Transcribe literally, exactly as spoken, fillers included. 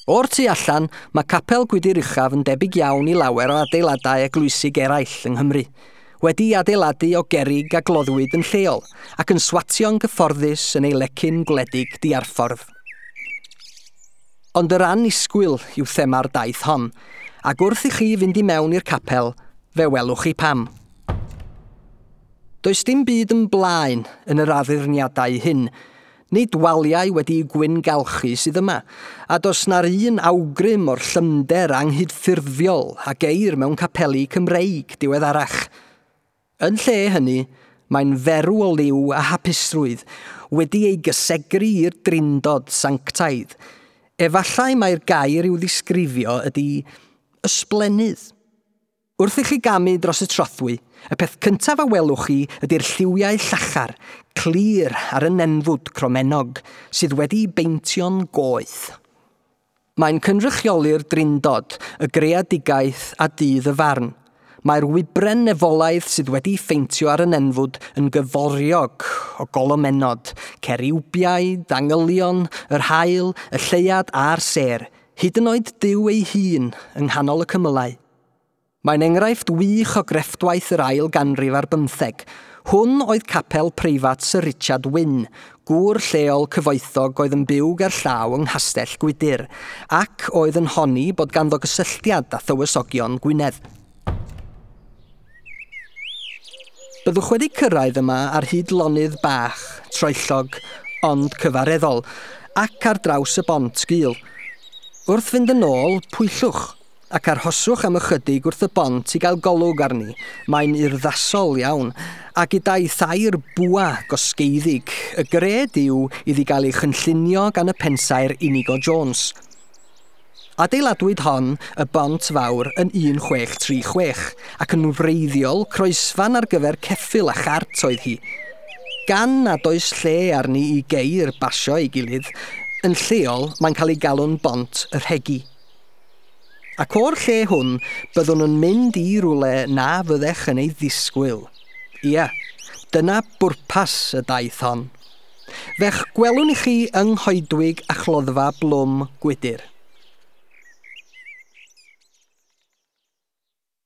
O'r tu allan, mae Capel Gwydir Uchaf yn debyg iawn i lawer o adeiladau eglwysig eraill yng Nghymru, wedi adeiladu o gerrig a gloddwyd yn lleol ac yn swatio'n gyfforddus yn ei lecyn gwledig diarffordd. Ond yr annisgwyl yw thema'r daith hon, ac wrth i chi fynd i mewn i'r capel, fe welwch chi pam. Does dim byd yn blaen yn yr addurniadau hyn, nid waliau wedi'u gwyngalchu sydd yma, a does na'r un awgrym o'r llymder anghydffurfiol a geir mewn capeli Cymreig diweddarach. Yn lle hynny, mae'n ferw o liw a hapusrwydd wedi ei gysegru i'r drindod sanctaidd. Efallai mai'r gair i'w ddisgrifio ydy ysblennydd. Wrth i chi gamu dros y trothwy, y peth cyntaf a welwch chi ydy'r lliwiau llachar, clir ar y nenfwd cromennog, sydd wedi beintio'n goeth. Mae'n cynrychioli'r drindod, y greadigaeth a dydd y farn. Mae'r wybren nefolaidd sydd wedi pheintio ar y nenfwd yn gyforiog o golomenod, ceriwbiaid, angylion, yr haul, y lleuad a'r sêr, hyd yn oed Duw ei hun yng nghanol y cymylau. Mae'n enghraifft wych o grefftwaith yr ail ganrif ar bymtheg. Hwn oedd capel preifat Sir Richard Wynne, gŵr lleol cyfoethog oedd yn byw gerllaw yng Nghastell Gwydir, ac oedd yn honni bod ganddo gysylltiad â thywysogion Gwynedd. Byddwch wedi cyrraedd yma ar hyd lonydd bach, troellog, ond cyfareddol, ac ar draws y bont gul. Wrth fynd yn ôl, pwyllwch, ac arhoswch am ychydig wrth y bont i gael golwg arni. Mae'n urddasol iawn, a gyda'i thair bwa gosgeiddig, y gred yw iddi gael ei chynllunio gan y pensaer Inigo Jones. Adeiladwyd hon, y bont fawr, yn un chwech tri chwech, ac yn wreiddiol croesfan ar gyfer ceffyl a chart oedd hi. Gan nad oes lle arni i geir basio ei gilydd, yn lleol mae'n cael ei galw'n bont y rhegi. Ac o'r lle hwn, byddwn yn mynd i rywle na fyddech yn ei ddisgwyl. Ia, dyna bwrpas y daith hon. Fe'ch gwelwn i chi yng Nghoedwig a Chloddfa Blwm Gwydir.